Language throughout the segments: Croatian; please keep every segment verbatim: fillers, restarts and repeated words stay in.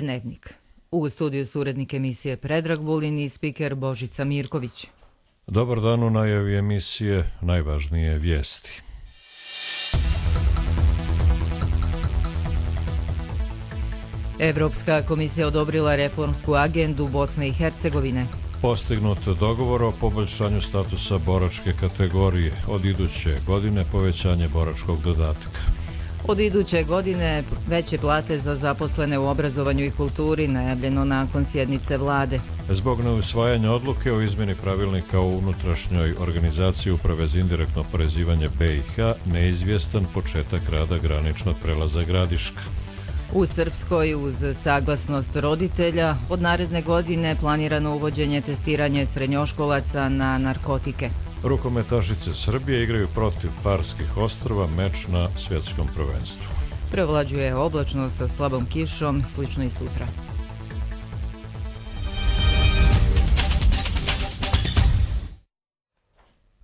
Dnevnik. U studiju su urednik emisije Predrag Vulin i spiker Božica Mirković. Dobar dan, u najavi emisije najvažnije vijesti. Evropska komisija odobrila reformsku agendu Bosne i Hercegovine. Postignut dogovor o poboljšanju statusa boračke kategorije. Od iduće godine povećanje boračkog dodatka. Od iduće godine veće plate za zaposlene u obrazovanju i kulturi najavljeno nakon sjednice vlade. Zbog neusvajanja odluke o izmjeni pravilnika o unutrašnjoj organizaciji Uprave za indirektno oporezivanje B i H neizvjestan početak rada graničnog prelaza Gradiška. U Srpskoj, uz saglasnost roditelja, od naredne godine planirano uvođenje testiranja srednjoškolaca na narkotike. Rukometašice Srbije igraju protiv Farskih ostrva meč na svjetskom prvenstvu. Prevlađuje oblačno sa slabom kišom, slično i sutra.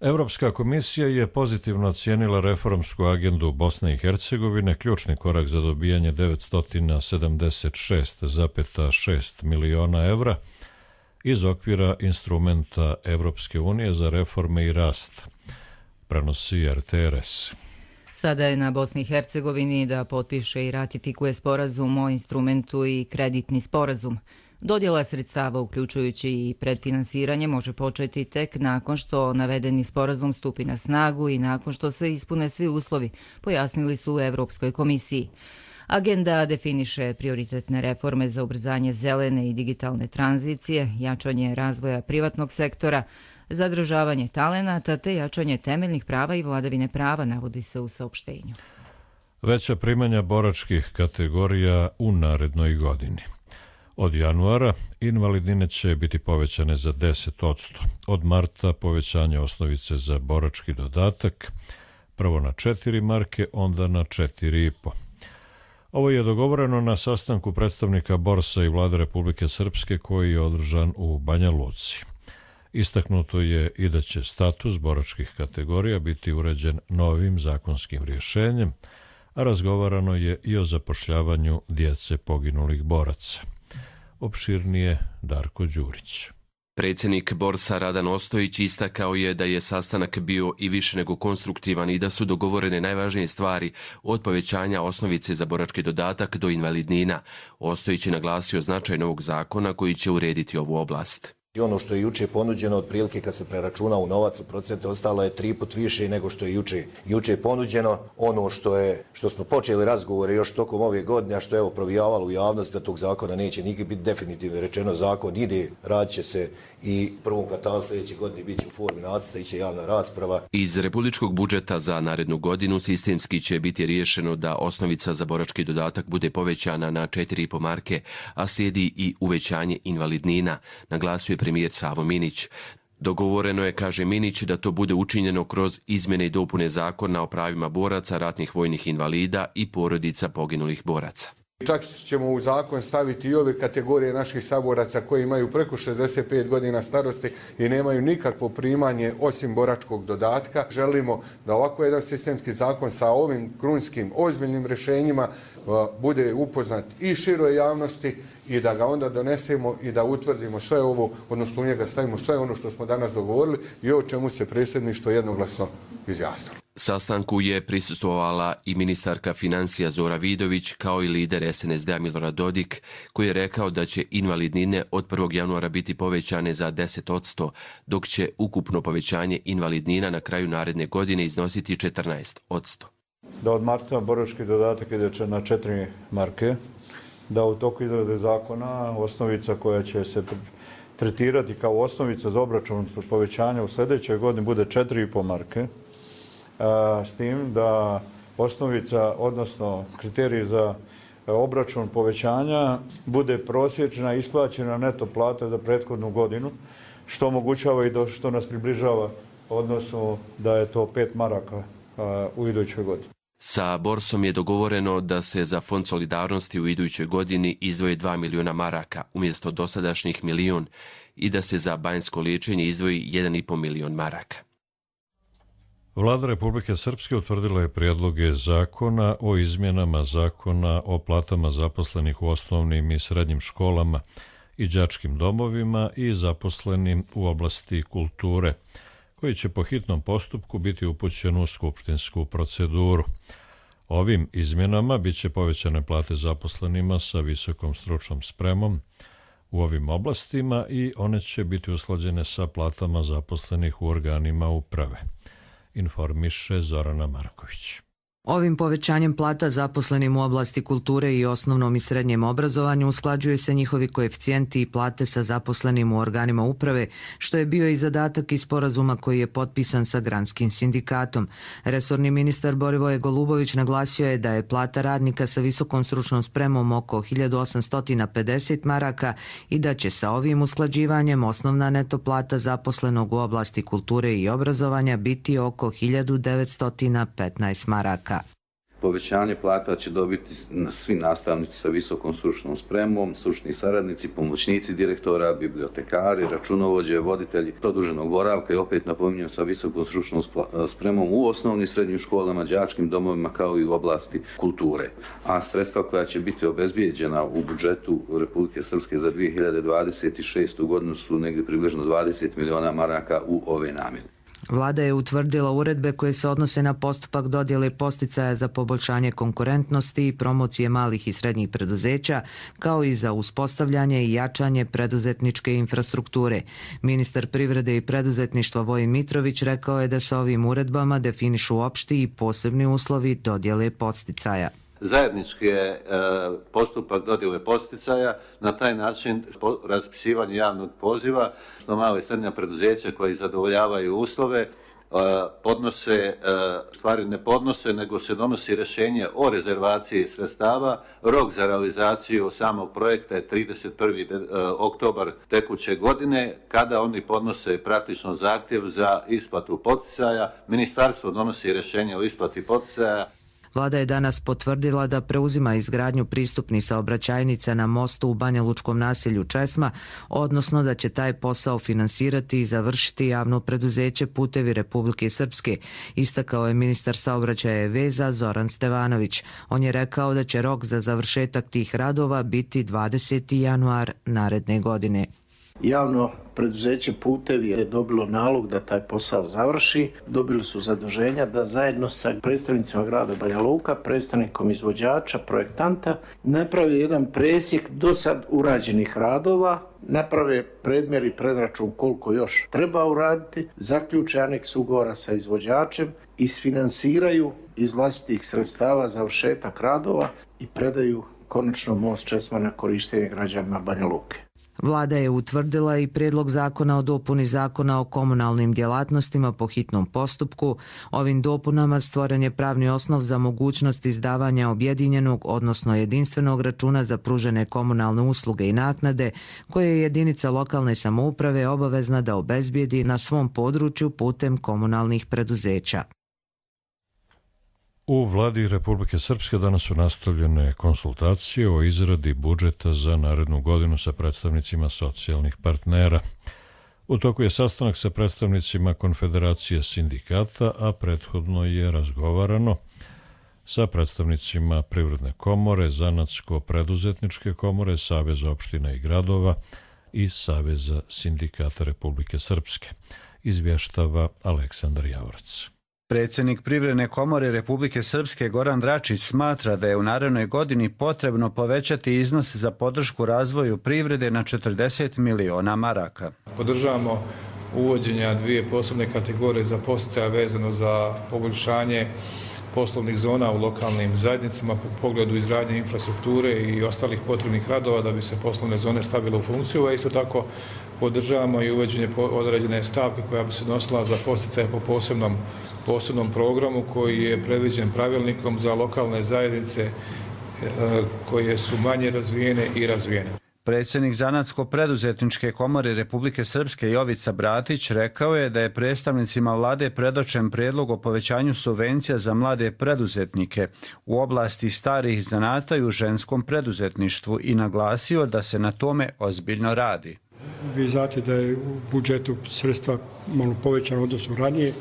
Evropska komisija je pozitivno ocijenila reformsku agendu Bosne i Hercegovine, ključni korak za dobijanje devetsto sedamdeset šest zarez šest miliona evra iz okvira instrumenta Evropske unije za reforme i rast, prenosi R T R S. Sada je na Bosni i Hercegovini da potpiše i ratifikuje sporazum o instrumentu i kreditni sporazum. Dodjela sredstava, uključujući i predfinansiranje, može početi tek nakon što navedeni sporazum stupi na snagu i nakon što se ispune svi uslovi, pojasnili su u Evropskoj komisiji. Agenda definiše prioritetne reforme za ubrzanje zelene i digitalne tranzicije, jačanje razvoja privatnog sektora, zadržavanje talenata te jačanje temeljnih prava i vladavine prava, navodi se u saopštenju. Veća primanja boračkih kategorija u narednoj godini. Od januara invalidnine će biti povećane za deset odsto. Od marta povećanje osnovice za borački dodatak, prvo na četiri marke, onda na četiri i po. Ovo je dogovoreno na sastanku predstavnika Borsa i Vlade Republike Srpske koji je održan u Banja Luci. Istaknuto je i da će status boračkih kategorija biti uređen novim zakonskim rješenjem, a razgovarano je i o zapošljavanju djece poginulih boraca. Opširnije Darko Đurić. Predsjednik Borsa Radan Ostojić istakao je da je sastanak bio i više nego konstruktivan i da su dogovorene najvažnije stvari od povećanja osnovice za borački dodatak do invalidnina. Ostojić je naglasio značaj novog zakona koji će urediti ovu oblast. I ono što je juče ponuđeno, otprilike kad se preračuna u novac u procente, ostalo je tri put više nego što je juče, juče ponuđeno. Ono što je, što smo počeli razgovore još tokom ove godine, a što je evo provijavalo u javnosti da tog zakona neće nikad biti definitivno rečeno, zakon ide, radit će se i prvom kvartalu sljedeće godine bit će u formi nacrta i će javna rasprava. Iz republičkog budžeta za narednu godinu sistemski će biti riješeno da osnovica za borački dodatak bude povećana na četiri i po marke, a slijedi i uvećanje invalidnina, naglasio je premijer Savo Minić. Dogovoreno je, kaže Minić, da to bude učinjeno kroz izmjene i dopune zakona o pravima boraca, ratnih vojnih invalida i porodica poginulih boraca. Čak ćemo u zakon staviti i ove kategorije naših saboraca koji imaju preko šezdeset pet godina starosti i nemaju nikakvo primanje osim boračkog dodatka. Želimo da ovako jedan sistemski zakon sa ovim krunskim ozbiljnim rješenjima bude upoznat i široj javnosti i da ga onda donesemo i da utvrdimo sve ovo, odnosno u njega stavimo sve ono što smo danas dogovorili i o čemu se predsjedništvo jednoglasno izjasnilo. Sastanku je prisustvovala i ministarka financija Zora Vidović kao i lider S N S D-a Milorad Dodik, koji je rekao da će invalidnine od prvog januara biti povećane za deset odsto, dok će ukupno povećanje invalidnina na kraju naredne godine iznositi četrnaest odsto. Da od marta borački dodatak ide na četiri marke, da u toku izrade zakona osnovica koja će se tretirati kao osnovica za obračun povećanja u sljedećoj godini bude četiri i po marke, s tim da osnovica, odnosno kriterij za obračun povećanja bude prosječna isplaćena neto plata za prethodnu godinu, što omogućava i do, što nas približava odnosno da je to pet maraka u idućoj godini. Sa Borsom je dogovoreno da se za Fond solidarnosti u idućoj godini izdvoje dva miliona maraka umjesto dosadašnjih milion i da se za banjsko liječenje izdvoji jedan i po milion maraka. Vlada Republike Srpske utvrdila je prijedloge zakona o izmjenama zakona o platama zaposlenih u osnovnim i srednjim školama i đačkim domovima i zaposlenim u oblasti kulture, koji će po hitnom postupku biti upućen u skupštinsku proceduru. Ovim izmjenama bit će povećane plate zaposlenima sa visokom stručnom spremom u ovim oblastima i one će biti usklađene sa platama zaposlenih u organima uprave, informiše Zorana Marković. Ovim povećanjem plata zaposlenim u oblasti kulture i osnovnom i srednjem obrazovanju usklađuje se njihovi koeficijenti i plate sa zaposlenim u organima uprave, što je bio i zadatak iz sporazuma koji je potpisan sa granskim sindikatom. Resorni ministar Borivoje Golubović naglasio je da je plata radnika sa visokom stručnom spremom oko hiljadu osamsto pedeset maraka i da će sa ovim usklađivanjem osnovna neto plata zaposlenog u oblasti kulture i obrazovanja biti oko hiljadu devetsto petnaest maraka. Povećanje plata će dobiti svi nastavnici sa visokom stručnom spremom, stručni saradnici, pomoćnici direktora, bibliotekari, računovođe, voditelji produženog boravka i opet napominjem sa visokom stručnom spremom u osnovnim i srednjim školama, đačkim domovima kao i u oblasti kulture. A sredstva koja će biti obezbijeđena u budžetu Republike Srpske za dvije hiljade dvadeset šestu godinu su negdje približno dvadeset miliona maraka u ove namjene. Vlada je utvrdila uredbe koje se odnose na postupak dodjele posticaja za poboljšanje konkurentnosti i promocije malih i srednjih preduzeća, kao i za uspostavljanje i jačanje preduzetničke infrastrukture. Ministar privrede i preduzetništva Vojin Mitrović rekao je da se ovim uredbama definišu opšti i posebni uslovi dodjele posticaja. Zajednički je postupak dodjele posticaja, na taj način raspisivanje javnog poziva, što malo i srednja preduzeća koji zadovoljavaju uslove, podnose, stvari ne podnose, nego se donosi rješenje o rezervaciji sredstava. Rok za realizaciju samog projekta je trideset prvi oktobar tekuće godine, kada oni podnose praktično zahtjev za isplatu poticaja. Ministarstvo donosi rješenje o isplati poticaja. Vlada je danas potvrdila da preuzima izgradnju pristupnih saobraćajnica na mostu u banjalučkom naselju Česma, odnosno da će taj posao finansirati i završiti javno preduzeće Putevi Republike Srpske, istakao je ministar saobraćaja i veza Zoran Stevanović. On je rekao da će rok za završetak tih radova biti dvadeseti januar naredne godine. Javno preduzeće Putevi je dobilo nalog da taj posao završi. Dobili su zaduženja da zajedno sa predstavnicima grada Banja Luka, predstavnikom izvođača, projektanta, napravi jedan presjek do sad urađenih radova, naprave predmjer i predračun koliko još treba uraditi, zaključe aneks ugovora sa izvođačem, isfinansiraju iz vlastitih sredstava završetak radova i predaju konačno most Česma na korištenje građanima Banja Luke. Vlada je utvrdila i prijedlog zakona o dopuni zakona o komunalnim djelatnostima po hitnom postupku. Ovim dopunama stvoren je pravni osnov za mogućnost izdavanja objedinjenog, odnosno jedinstvenog računa za pružene komunalne usluge i naknade, koje je jedinica lokalne samouprave obavezna da obezbijedi na svom području putem komunalnih preduzeća. U Vladi Republike Srpske danas su nastavljene konsultacije o izradi budžeta za narednu godinu sa predstavnicima socijalnih partnera. U toku je sastanak sa predstavnicima Konfederacije sindikata, a prethodno je razgovarano sa predstavnicima Privredne komore, Zanatsko-preduzetničke komore, Saveza opština i gradova i Saveza sindikata Republike Srpske. Izvještava Aleksandar Javorac. Predsjednik Privredne komore Republike Srpske Goran Dračić smatra da je u narednoj godini potrebno povećati iznos za podršku razvoju privrede na četrdeset miliona maraka. Podržavamo uvođenja dvije posebne kategorije za podsticaja vezano za poboljšanje poslovnih zona u lokalnim zajednicama po pogledu izgradnje infrastrukture i ostalih potrebnih radova da bi se poslovne zone stavile u funkciju, a isto tako podržavamo i uvođenje određene stavke koja bi se nosila za podsticaje po posebnom, posebnom programu koji je predviđen pravilnikom za lokalne zajednice koje su manje razvijene i razvijene. Predsjednik Zanatsko-preduzetničke komore Republike Srpske Jovica Bratić rekao je da je predstavnicima vlade predočen prijedlog o povećanju subvencija za mlade preduzetnike u oblasti starih zanata i u ženskom preduzetništvu i naglasio da se na tome ozbiljno radi. Vi znate da je u budžetu sredstva malo povećano odnosno ranije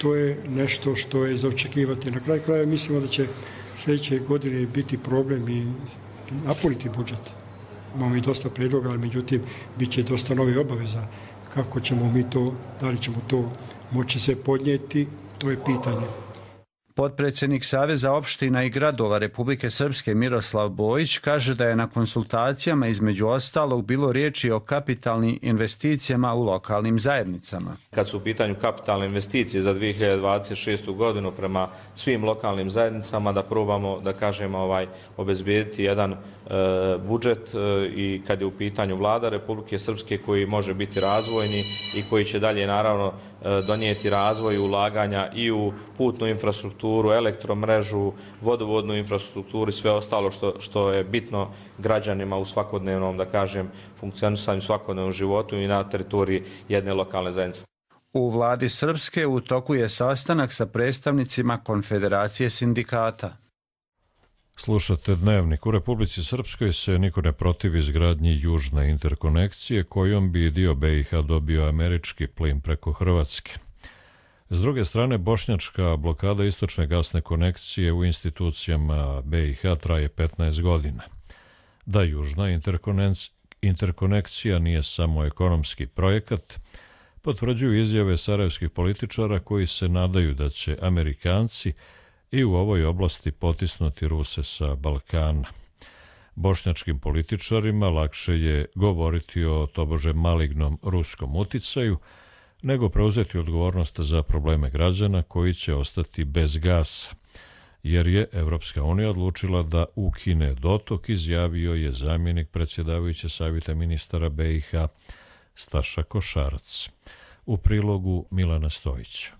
to je nešto što je za očekivati. Na kraju kraja mislimo da će sljedeće godine biti problem i napuniti budžet. Imamo i dosta predloga, ali međutim bit će dosta novih obaveza. Kako ćemo mi to, da li ćemo to moći sve podnijeti, to je pitanje. Potpredsjednik Saveza opština i gradova Republike Srpske Miroslav Bojić kaže da je na konsultacijama između ostalog bilo riječi o kapitalnim investicijama u lokalnim zajednicama. Kad su u pitanju kapitalne investicije za dvije hiljade dvadeset šestu godinu prema svim lokalnim zajednicama da probamo, da kažemo, ovaj, obezbijediti jedan e, budžet e, i kad je u pitanju vlada Republike Srpske koji može biti razvojni i koji će dalje naravno e, donijeti razvoj ulaganja i u putnu infrastrukturu, elektromrežu, vodovodnu infrastrukturu i sve ostalo što, što je bitno građanima u svakodnevnom, da kažem, funkcionisanju svakodnevnom životu i na teritoriji jedne lokalne zajednice. U vladi Srpske u toku je sastanak sa predstavnicima Konfederacije sindikata. Slušate Dnevnik. U Republici Srpskoj se niko ne protivi izgradnji južne interkonekcije kojom bi dio B i H dobio američki plin preko Hrvatske. S druge strane, bošnjačka blokada istočne gasne konekcije u institucijama B i H traje petnaest godina. Da južna interkonekcija nije samo ekonomski projekat, potvrđuju izjave sarajevskih političara koji se nadaju da će Amerikanci i u ovoj oblasti potisnuti Ruse sa Balkana. Bošnjačkim političarima lakše je govoriti o tobože malignom ruskom uticaju, nego preuzeti odgovornost za probleme građana koji će ostati bez gasa, jer je Evropska unija odlučila da ukine dotok, izjavio je zamjenik predsjedavajuće savjeta ministara B i H Staša Košarac. U prilogu Milana Stojića.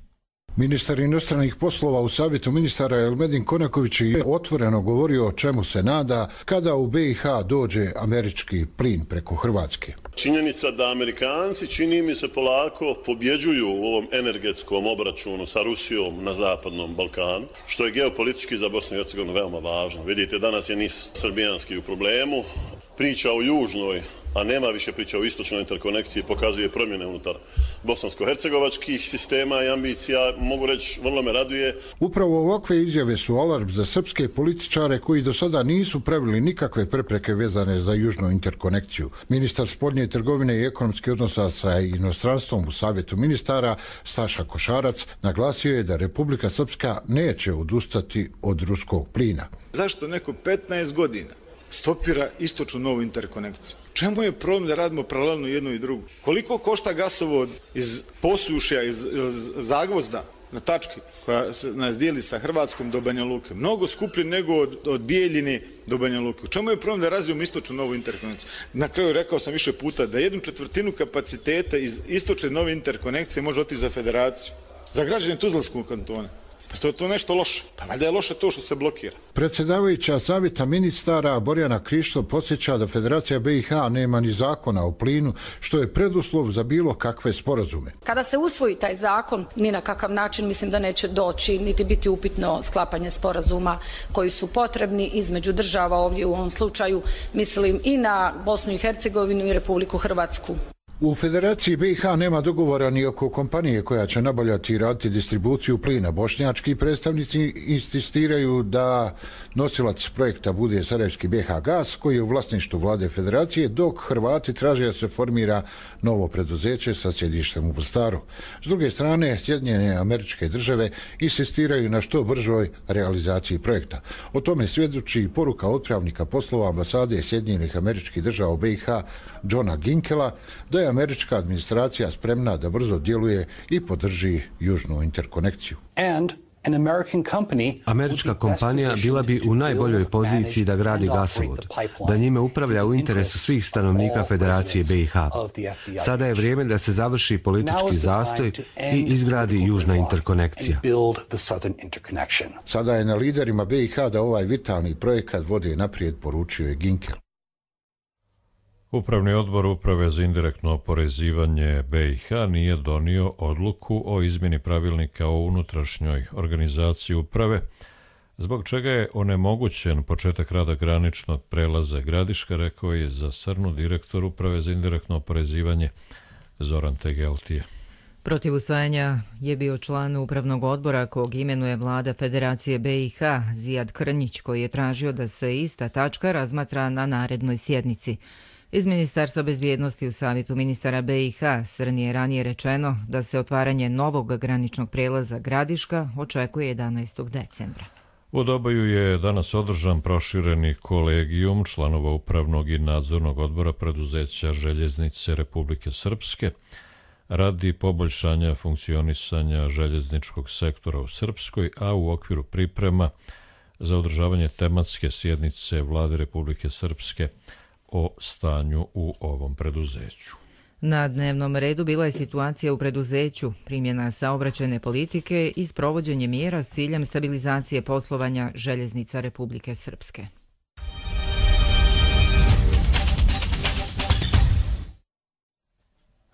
Ministar inostranih poslova u savjetu ministara Elmedin Konaković je otvoreno govorio o čemu se nada kada u B i H dođe američki plin preko Hrvatske. Činjenica da Amerikanci, čini mi se, polako pobjeđuju u ovom energetskom obračunu sa Rusijom na zapadnom Balkanu, što je geopolitički za Bosnu i Hercegovinu veoma važno. Vidite, danas je NIS srbijanski u problemu, priča o južnoj, a nema više priča o istočnoj interkonekciji, pokazuje promjene unutar bosansko-hercegovačkih sistema i ambicija, mogu reći, vrlo me raduje. Upravo ovakve izjave su alarm za srpske političare koji do sada nisu pravili nikakve prepreke vezane za južnu interkonekciju. Ministar spoljne trgovine i ekonomskih odnosa sa inostranstvom u savjetu ministara Staša Košarac naglasio je da Republika Srpska neće odustati od ruskog plina. Zašto neko petnaest godina stopira istočnu novu interkonekciju? Čemu je problem da radimo paralelno jedno i drugo? Koliko košta gasovod iz Posušja, iz Zagvozda na tački koja nas dijeli sa Hrvatskom do Banja Luke? Mnogo skuplje nego od, od Bijeljine do Banja Luke. Čemu je problem da razvijemo istočnu novu interkonekciju? Na kraju rekao sam više puta da jednu četvrtinu kapaciteta iz istočne nove interkonekcije može otići za federaciju, za građane Tuzlanskog kantona. Pa to je to nešto loše. Pa valjda je loše to što se blokira. Predsjedavajuća savjeta ministara Borjana Krišto podsjeća da Federacija B i H nema ni zakona o plinu, što je preduslov za bilo kakve sporazume. Kada se usvoji taj zakon, ni na kakav način mislim da neće doći, niti biti upitno sklapanje sporazuma koji su potrebni između država, ovdje u ovom slučaju mislim i na Bosnu i Hercegovinu i Republiku Hrvatsku. U Federaciji B i H nema dogovora ni oko kompanije koja će nabavljati i raditi distribuciju plina. Bošnjački predstavnici insistiraju da nosilac projekta bude sarajevski B H Gas, koji je u vlasništvu vlade Federacije, dok Hrvati traže da se formira novo preduzeće sa sjedištem u Mostaru. S druge strane, Sjedinjene Američke Države insistiraju na što bržoj realizaciji projekta. O tome svjedoči poruka otpravnika poslova ambasade Sjedinjenih Američkih Država u B i H Johna Ginkela da je američka administracija spremna da brzo djeluje i podrži južnu interkonekciju. Američka kompanija bila bi u najboljoj poziciji da gradi gasovod, da njime upravlja u interesu svih stanovnika Federacije B i H. Sada je vrijeme da se završi politički zastoj i izgradi južna interkonekcija. Sada je na liderima B i H da ovaj vitalni projekat vode naprijed, poručio je Ginkel. Upravni odbor Uprave za indirektno oporezivanje B i H nije donio odluku o izmjeni pravilnika o unutrašnjoj organizaciji uprave, zbog čega je onemogućen početak rada graničnog prelaza Gradiška, rekao je za Srnu direktor Uprave za indirektno oporezivanje Zoran Tegeltije. Protiv usvajanja je bio član upravnog odbora kog imenuje vlada Federacije be i ha, Zijad Krnjić, koji je tražio da se ista tačka razmatra na narednoj sjednici. Iz Ministarstva bezbjednosti u savjetu ministara be i ha Srni je ranije rečeno da se otvaranje novog graničnog prelaza Gradiška očekuje jedanaestog decembra. U Doboju je danas održan prošireni kolegijum članova upravnog i nadzornog odbora preduzeća Željeznice Republike Srpske radi poboljšanja funkcionisanja željezničkog sektora u Srpskoj, a u okviru priprema za održavanje tematske sjednice Vlade Republike Srpske o stanju u ovom preduzeću. Na dnevnom redu bila je situacija u preduzeću, primjena saobraćajne politike i sprovođenje mjera s ciljem stabilizacije poslovanja Željeznica Republike Srpske.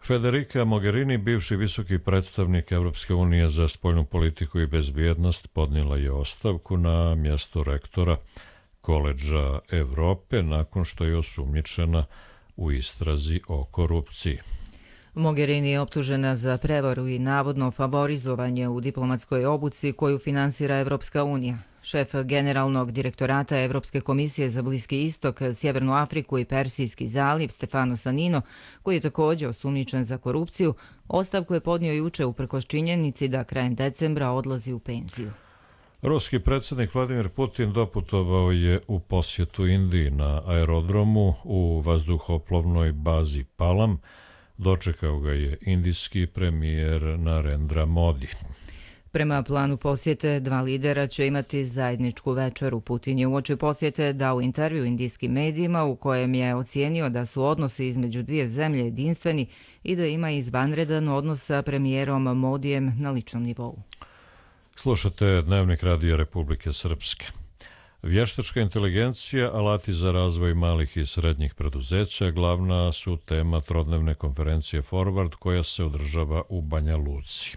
Federica Mogherini, bivši visoki predstavnik Evropske unije za spoljnu politiku i bezbjednost, podnijela je ostavku na mjesto rektora Koledža Evrope nakon što je osumnjičena u istrazi o korupciji. Mogherini je optužena za prevaru i navodno favorizovanje u diplomatskoj obuci koju finansira Evropska unija. Šef generalnog direktorata Evropske komisije za Bliski istok, Sjevernu Afriku i Persijski zaliv Stefano Sanino, koji je također osumnjičen za korupciju, ostavku je podnio juče uprkos činjenici da krajem decembra odlazi u penziju. Ruski predsjednik Vladimir Putin doputovao je u posjetu Indiji na aerodromu u vazduhoplovnoj bazi Palam. Dočekao ga je indijski premijer Narendra Modi. Prema planu posjete, dva lidera će imati zajedničku večeru. Putin je uoči posjete dao intervju indijskim medijima u kojem je ocijenio da su odnosi između dvije zemlje jedinstveni i da ima izvanredan odnos sa premijerom Modijem na ličnom nivou. Slušate Dnevnik Radija Republike Srpske. Vještačka inteligencija, alati za razvoj malih i srednjih preduzeća glavna su tema trodnevne konferencije Forward koja se održava u Banja Luci.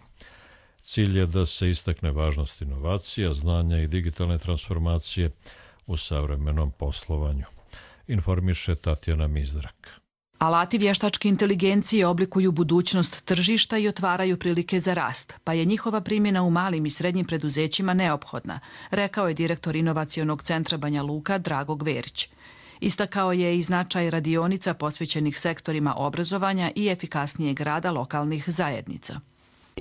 Cilj je da se istakne važnost inovacija, znanja i digitalne transformacije u savremenom poslovanju. Informiše Tatjana Mizrak. Alati vještačke inteligencije oblikuju budućnost tržišta i otvaraju prilike za rast, pa je njihova primjena u malim i srednjim preduzećima neophodna, rekao je direktor Inovacionog centra Banja Luka Drago Gverić. Istakao je i značaj radionica posvećenih sektorima obrazovanja i efikasnijeg rada lokalnih zajednica.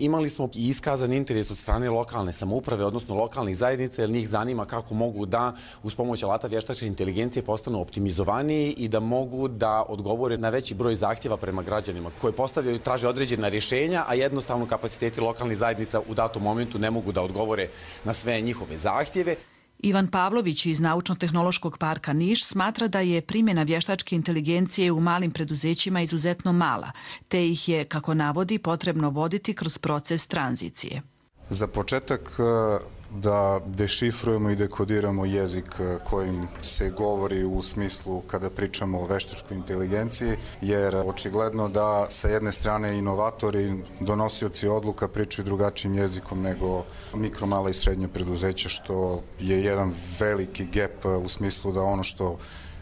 Imali smo i iskazan interes od strane lokalne samouprave, odnosno lokalnih zajednica, jer njih zanima kako mogu da uz pomoć alata vještačke inteligencije postanu optimizovaniji i da mogu da odgovore na veći broj zahtjeva prema građanima koji postavljaju i traže određena rješenja, a jednostavno kapaciteti lokalnih zajednica u datom momentu ne mogu da odgovore na sve njihove zahtjeve. Ivan Pavlović iz Naučno-tehnološkog parka Niš smatra da je primjena vještačke inteligencije u malim preduzećima izuzetno mala, te ih je, kako navodi, potrebno voditi kroz proces tranzicije. Za početak da dešifrujemo i dekodiramo jezik kojim se govori u smislu kada pričamo o veštačkoj inteligenciji, jer očigledno da sa jedne strane inovatori, donosioci odluka pričaju drugačijim jezikom nego mikro, mala i srednje preduzeća, što je jedan veliki gap u smislu da ono što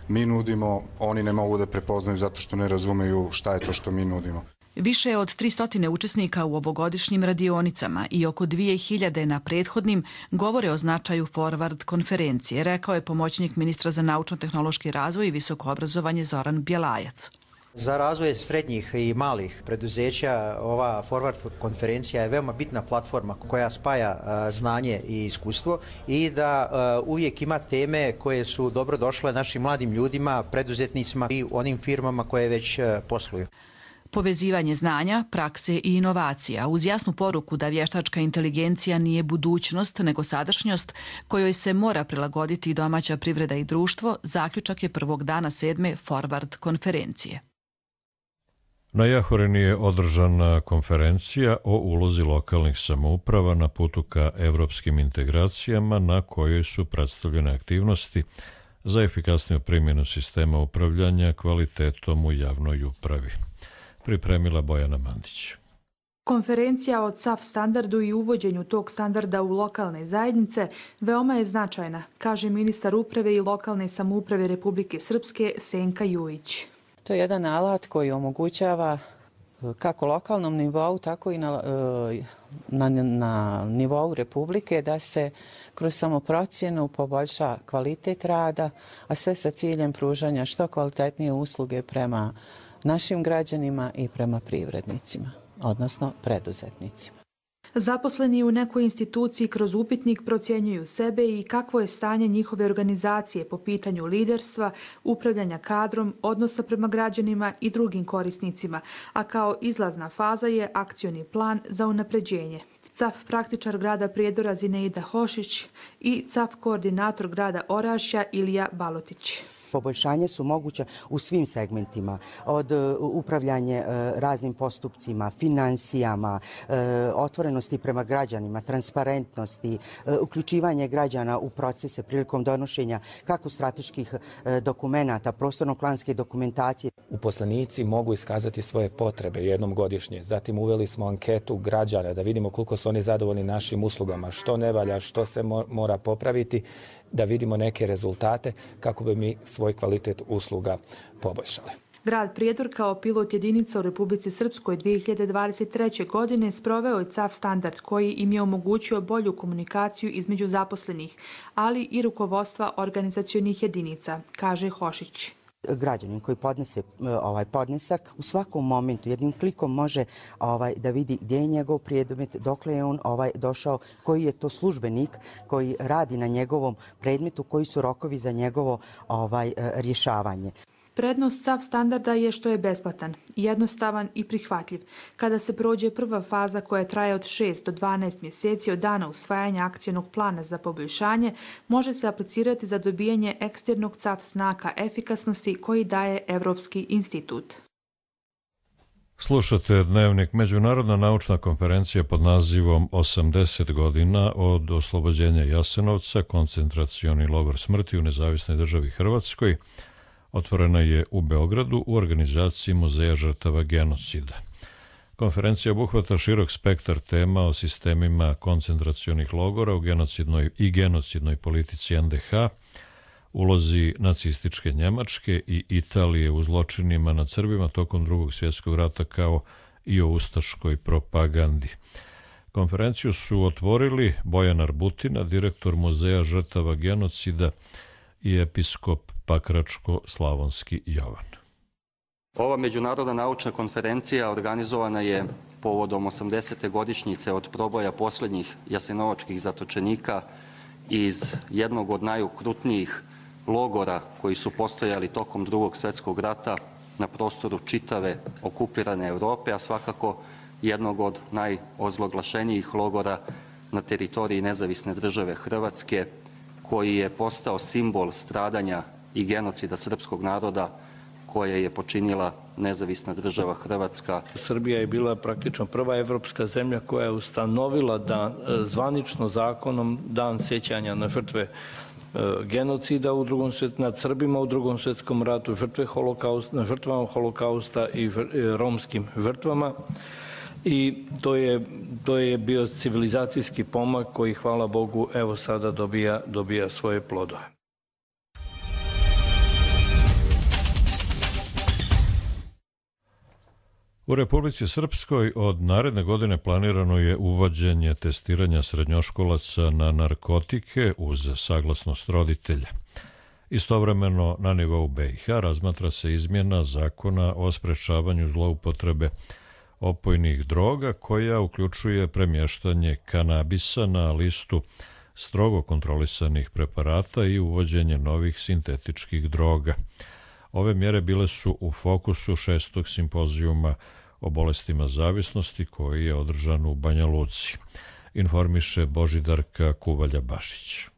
mi nudimo, oni ne mogu da prepoznaju zato što ne razumeju šta je to što mi nudimo. Više od tristo učesnika u ovogodišnjim radionicama i oko dvije hiljade na prethodnim govore o značaju Forward konferencije, rekao je pomoćnik ministra za naučno-tehnološki razvoj i visoko obrazovanje Zoran Bjelajac. Za razvoj srednjih i malih preduzeća ova Forward konferencija je veoma bitna platforma koja spaja znanje i iskustvo i da uvijek ima teme koje su dobro došle našim mladim ljudima, preduzetnicima i onim firmama koje već posluju. Povezivanje znanja, prakse i inovacija uz jasnu poruku da vještačka inteligencija nije budućnost nego sadašnjost kojoj se mora prilagoditi domaća privreda i društvo, zaključak je prvog dana sedme Forward konferencije. Na Jahorini je održana konferencija o ulozi lokalnih samouprava na putu ka evropskim integracijama na kojoj su predstavljene aktivnosti za efikasniju primjenu sistema upravljanja kvalitetom u javnoj upravi. Pripremila Bojana Mandić. Konferencija o C A F standardu i uvođenju tog standarda u lokalne zajednice veoma je značajna, kaže ministar uprave i lokalne samouprave Republike Srpske Senka Jujić. To je jedan alat koji omogućava kako lokalnom nivou, tako i na, na, na nivou Republike, da se kroz samoprocjenu poboljša kvalitet rada, a sve sa ciljem pružanja što kvalitetnije usluge prema našim građanima i prema privrednicima, odnosno preduzetnicima. Zaposleni u nekoj instituciji kroz upitnik procjenjuju sebe i kakvo je stanje njihove organizacije po pitanju liderstva, upravljanja kadrom, odnosa prema građanima i drugim korisnicima, a kao izlazna faza je akcioni plan za unapređenje. C A F praktičar grada Prijedora Zineida Hošić i C A F koordinator grada Orašja Ilija Balotić. Poboljšanje su moguća u svim segmentima, od upravljanja raznim postupcima, financijama, otvorenosti prema građanima, transparentnosti, uključivanje građana u procese prilikom donošenja kako strateških dokumenata, prostorno-planske dokumentacije. Uposlenici mogu iskazati svoje potrebe jednom godišnje. Zatim uveli smo anketu građana da vidimo koliko su oni zadovoljni našim uslugama, što ne valja, što se mora popraviti, da vidimo neke rezultate kako bi mi svoj kvalitet usluga poboljšali. Grad Prijedor kao pilot jedinica u Republici Srpskoj dvije hiljade dvadeset treće. godine sproveo je C A F standard koji im je omogućio bolju komunikaciju između zaposlenih, ali i rukovodstva organizacionih jedinica, kaže Hošić. Građanin koji podnese ovaj podnesak u svakom momentu jednim klikom može ovaj da vidi gdje je njegov predmet, dokle je on ovaj došao, koji je to službenik koji radi na njegovom predmetu, koji su rokovi za njegovo ovaj rješavanje. Prednost C A F standarda je što je besplatan, jednostavan i prihvatljiv. Kada se prođe prva faza koja traje od šest do dvanaest mjeseci od dana usvajanja akcionog plana za poboljšanje, može se aplicirati za dobijanje eksternog C A F znaka efikasnosti koji daje Evropski institut. Slušate Dnevnik. Međunarodna naučna konferencija pod nazivom osamdeset godina od oslobođenja Jasenovca, koncentracioni logor smrti u nezavisnoj državi Hrvatskoj, otvorena je u Beogradu u organizaciji Muzeja žrtava genocida. Konferencija obuhvata širok spektar tema o sistemima koncentracionih logora u genocidnoj i genocidnoj politici en de ha, ulozi nacističke Njemačke i Italije u zločinima nad Srbima tokom Drugog svjetskog rata, kao i o ustaškoj propagandi. Konferenciju su otvorili Bojan Arbutina, direktor Muzeja žrtava genocida, i episkop Pakračko-Slavonski Jovan. Ova međunarodna naučna konferencija organizovana je povodom osamdesete godišnjice od proboja posljednjih jasenovačkih zatočenika iz jednog od najokrutnijih logora koji su postojali tokom Drugog svjetskog rata na prostoru čitave okupirane Europe, a svakako jednog od najozloglašenijih logora na teritoriji nezavisne države Hrvatske, koji je postao simbol stradanja i genocida srpskog naroda koje je počinila nezavisna država Hrvatska. Srbija je bila praktično prva evropska zemlja koja je ustanovila dan, zvanično zakonom dan sjećanja na žrtve genocida u drugom svjet, nad Srbima u Drugom svjetskom ratu, žrtve holokausta, na žrtvama holokausta i romskim žrtvama. I to je, to je bio civilizacijski pomak koji, hvala Bogu, evo sada dobija, dobija svoje plodove. U Republici Srpskoj od naredne godine planirano je uvođenje testiranja srednjoškolaca na narkotike uz saglasnost roditelja. Istovremeno na nivou be i ha razmatra se izmjena zakona o sprečavanju zloupotrebe opojnih droga koja uključuje premještanje kanabisa na listu strogo kontrolisanih preparata i uvođenje novih sintetičkih droga. Ove mjere bile su u fokusu šestog simpozijuma o bolestima zavisnosti koji je održan u Banja Luci, informiše Božidarka Kuvalja-Bašić.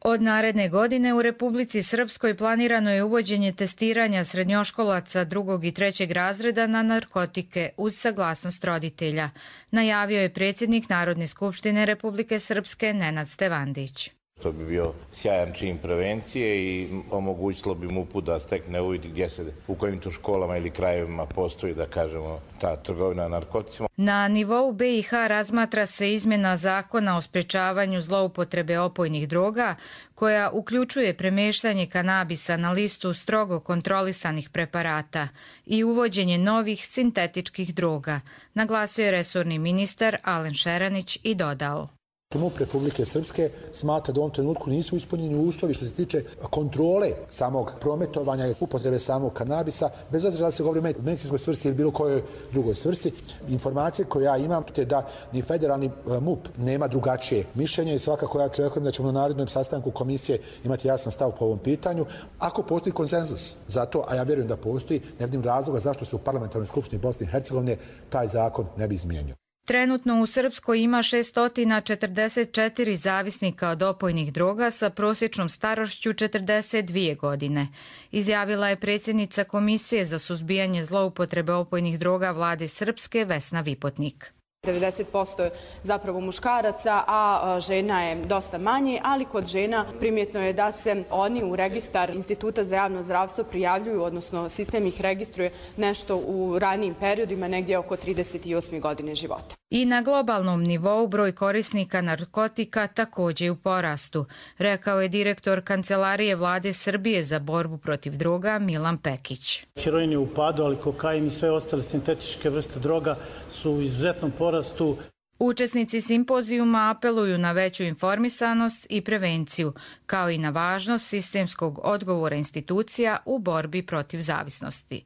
Od naredne godine u Republici Srpskoj planirano je uvođenje testiranja srednjoškolaca drugog i trećeg razreda na narkotike uz saglasnost roditelja, najavio je predsjednik Narodne skupštine Republike Srpske Nenad Stevandić. To bi bio sjajan čin prevencije i omogućilo bi M U P-u da stekne uvid gdje se, u kojim to školama ili krajevima postoji, da kažemo, ta trgovina narkoticima. Na nivou B i H razmatra se izmjena zakona o sprečavanju zloupotrebe opojnih droga, koja uključuje premeštanje kanabisa na listu strogo kontrolisanih preparata i uvođenje novih sintetičkih droga, naglasio je resorni ministar Alen Šeranić i dodao. M U P Republike Srpske smatra da u ovom trenutku nisu ispunjeni uslovi što se tiče kontrole samog prometovanja i upotrebe samog kanabisa, bez obzira da se govori o medicinskoj svrsi ili bilo kojoj drugoj svrsi. Informacije koje ja imam je da ni federalni M U P nema drugačije mišljenje i svakako ja očekujem da ćemo na narednom sastanku komisije imati jasan stav po ovom pitanju. Ako postoji konsenzus za to, a ja vjerujem da postoji, ne vidim razloga zašto se u Parlamentarnoj skupštini Bosne i Hercegovine taj zakon ne bi izmijenio. Trenutno u Srpskoj ima šesto četrdeset četiri zavisnika od opojnih droga sa prosječnom starošću četrdeset dvije godine. Izjavila je predsjednica Komisije za suzbijanje zloupotrebe opojnih droga Vlade Srpske Vesna Vipotnik. devedeset posto je zapravo muškaraca, a žena je dosta manje, ali kod žena primjetno je da se oni u registar Instituta za javno zdravstvo prijavljuju, odnosno sistem ih registruje nešto u ranijim periodima, negdje oko trideset osme godine života. I na globalnom nivou broj korisnika narkotika također je u porastu, rekao je direktor Kancelarije Vlade Srbije za borbu protiv droga Milan Pekić. Heroin je u padu, ali kokain i sve ostale sintetičke vrste droga su u izuzetnom porastu. Učesnici simpozijuma apeluju na veću informisanost i prevenciju, kao i na važnost sistemskog odgovora institucija u borbi protiv zavisnosti.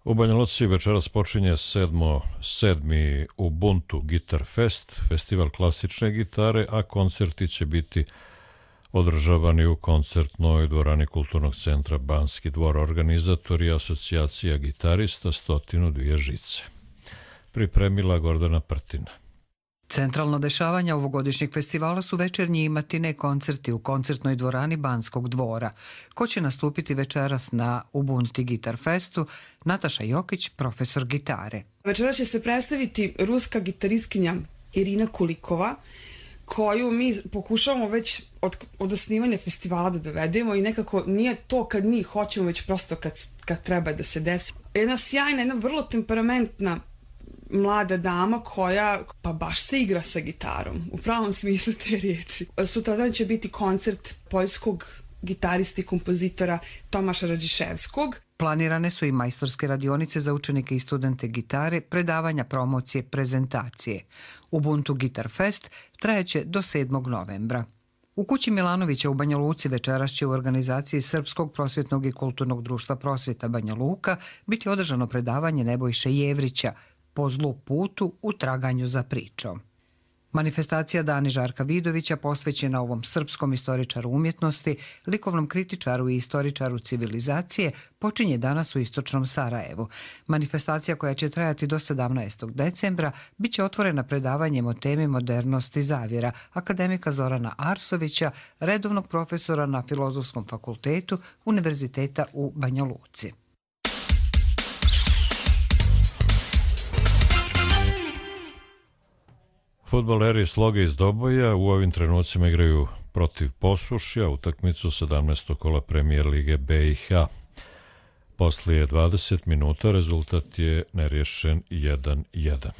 U Banja Luci večeras počinje sedmo, sedmi Ubuntu Guitar Fest, festival klasične gitare, a koncerti će biti održavani u koncertnoj dvorani Kulturnog centra Banski dvor. Organizatori asocijacija gitarista stotinu dvije žice. Pripremila Gordana Prtina. Centralna dešavanja ovogodišnjeg festivala su večernji i matine koncerti u koncertnoj dvorani Banskog dvora. Ko će nastupiti večeras na Ubuntu Guitar Festu? Nataša Jokić, profesor gitare. Večeras će se predstaviti ruska gitaristkinja Irina Kulikova, koju mi pokušavamo već od, od osnivanja festivala da dovedemo i nekako nije to kad mi hoćemo, već prosto kad, kad treba da se desi. Jedna sjajna, jedna vrlo temperamentna mlada dama koja pa baš se igra sa gitarom, u pravom smislu te riječi. Sutradan će biti koncert poljskog gitarista i kompozitora Tomaša Radžiševskog. Planirane su i majstorske radionice za učenike i studente gitare, predavanja, promocije, prezentacije. Ubuntu Guitar Fest trajeće do sedmog novembra. U kući Milanovića u Banja Luci večeras će u organizaciji Srpskog prosvjetnog i kulturnog društva Prosvjeta Banja Luka biti održano predavanje Nebojše Jevrića Po zlu putu u traganju za pričom. Manifestacija Dani Žarka Vidovića posvećena ovom srpskom istoričaru umjetnosti, likovnom kritičaru i istoričaru civilizacije počinje danas u istočnom Sarajevu. Manifestacija koja će trajati do sedamnaestog decembra bit će otvorena predavanjem o temi modernosti zavjera akademika Zorana Arsovića, redovnog profesora na Filozofskom fakultetu Univerziteta u Banja Luci. Fudbaleri Sloge iz Doboja u ovim trenucima igraju protiv Posušja utakmicu sedamnaestog kola Premijer Lige B i H. Poslije dvadeset minuta rezultat je nerješen jedan jedan.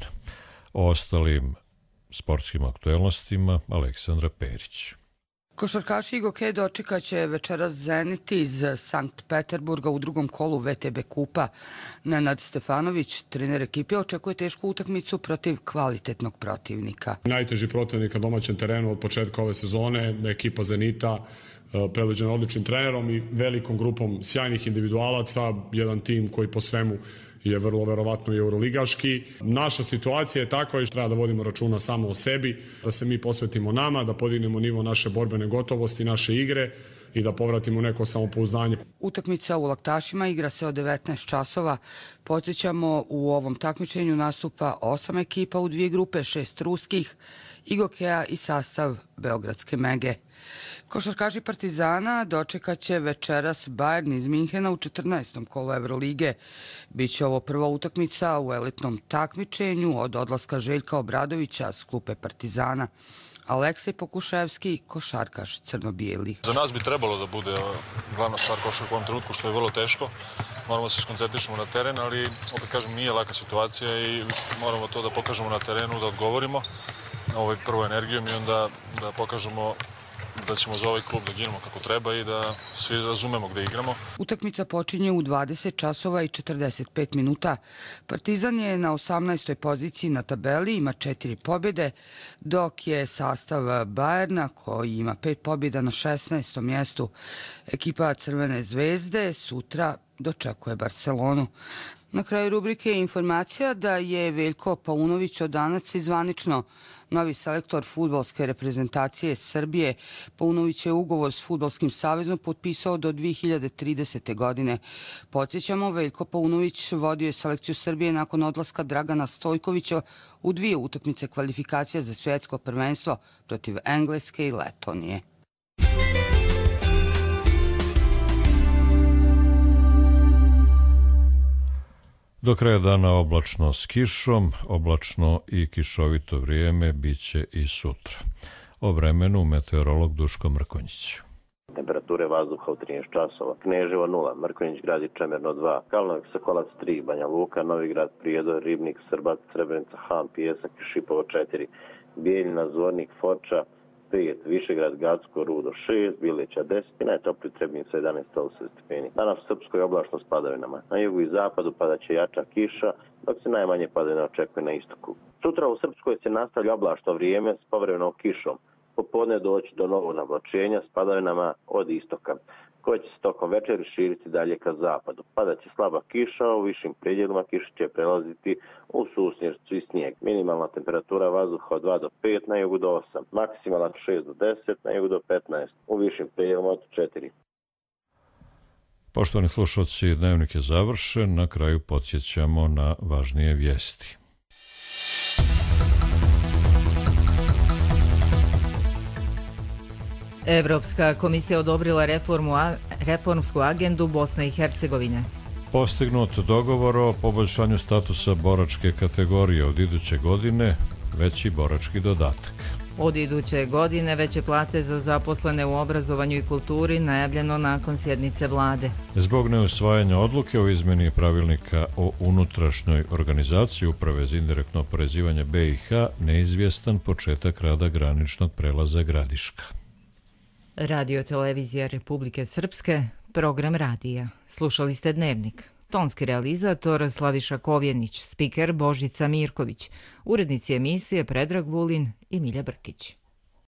O ostalim sportskim aktuelnostima Aleksandra Perić. Košarkaši i Goke dočekaće večeras Zenit iz Sankt Peterburga u drugom kolu V T B kupa. Nenad Stefanović, trener ekipe, očekuje tešku utakmicu protiv kvalitetnog protivnika. Najteži protivnik na domaćem terenu od početka ove sezone, ekipa Zenita, predvođena odličnim trenerom i velikom grupom sjajnih individualaca, jedan tim koji po svemu je vrlo verovatno i euroligaški. Naša situacija je takva i treba da vodimo računa samo o sebi, da se mi posvetimo nama, da podignemo nivo naše borbene gotovosti, naše igre i da povratimo neko samopouzdanje. Utakmica u Laktašima igra se od devetnaest časova. Podsjećamo, u ovom takmičenju nastupa osam ekipa u dvije grupe, šest ruskih, Igokeja i sastav Beogradske Mege. Košarkaši Partizana dočekaće večeras Bayern iz Minhena u četrnaestom kolu Evrolige. Biće ovo prva utakmica u elitnom takmičenju od odlaska Željka Obradovića s klupe Partizana. Aleksej Pokuševski, košarkaš crno-bijeli. Za nas bi trebalo da bude glavna stvar košarka u ovom trenutku, što je vrlo teško. Moramo se skoncentrišemo na teren, ali opet kažem, nije laka situacija i moramo to da pokažemo na terenu, da odgovorimo na ovaj prvo energijom i onda da pokažemo da ćemo za ovaj klub da ginemo kako treba i da svi razumemo gde igramo. Utakmica počinje u dvadeset časova i četrdeset pet minuta. Partizan je na osamnaestoj poziciji na tabeli, ima četiri pobjede, dok je sastav Bayerna, koji ima pet pobjeda, na šesnaestom mjestu. Ekipa Crvene zvezde sutra dočekuje Barcelonu. Na kraju rubrike je informacija da je Veljko Paunović od danas zvanično novi selektor fudbalske reprezentacije Srbije. Paunović je ugovor s Fudbalskim savezom potpisao do dve hiljade tridesete. godine. Podsjećamo, Veljko Paunović vodio je selekciju Srbije nakon odlaska Dragana Stojkovića u dvije utakmice kvalifikacija za svjetsko prvenstvo protiv Engleske i Letonije. Do kraja dana oblačno s kišom, oblačno i kišovito vrijeme biće i sutra. O vremenu meteorolog Duško Mrkonjić. Temperature vazduha u trinaest časova. Kneževo nula, Mrkonjić grad i Čemerno dva, Kalnovik Sokolac tri, Banja Luka, Novi grad, Prijedor, Ribnik, Srbac, Srebrenica, Han, Pijesak i Šipovo četiri, Bijeljina, Zvornik, Foča pet, Višegrad, Gacko, Rudo šest, Bileća deset i najtopliji Trebnica jedanaest stepeni. Danas u Srpskoj oblačno s padavinama. Na jugu i zapadu padaće jača kiša, dok se najmanje padavina očekuje na istoku. Sutra u Srpskoj se nastavlja oblačno vrijeme s povremenom kišom. Popodne doći do novog navlačenja s padavinama od istoka, koje će se tokom večeri širiti dalje ka zapadu. Padaće slaba kiša, u višim predjelima kiša će prelaziti u susnjercu i snijeg. Minimalna temperatura vazduha od dva do pet, na jugu do osam, maksimalna od šest do deset, na jugu do petnaest, u višim predjelima od četiri. Poštovani slušalci, dnevnik je završen, na kraju podsjećamo na važnije vijesti. Evropska komisija odobrila reformu, reformsku agendu Bosne i Hercegovine. Postignut dogovor o poboljšanju statusa boračke kategorije od iduće godine, veći borački dodatak. Od iduće godine veće plate za zaposlene u obrazovanju i kulturi najavljeno nakon sjednice vlade. Zbog neusvajanja odluke o izmjeni pravilnika o unutrašnjoj organizaciji Uprave za indirektno oporezivanje B i H, neizvjestan početak rada graničnog prelaza Gradiška. Radio Televizija Republike Srpske, program radija. Slušali ste Dnevnik. Tonski realizator Slaviša Kovjenić, spiker Božica Mirković, urednici emisije Predrag Vulin i Milja Brkić.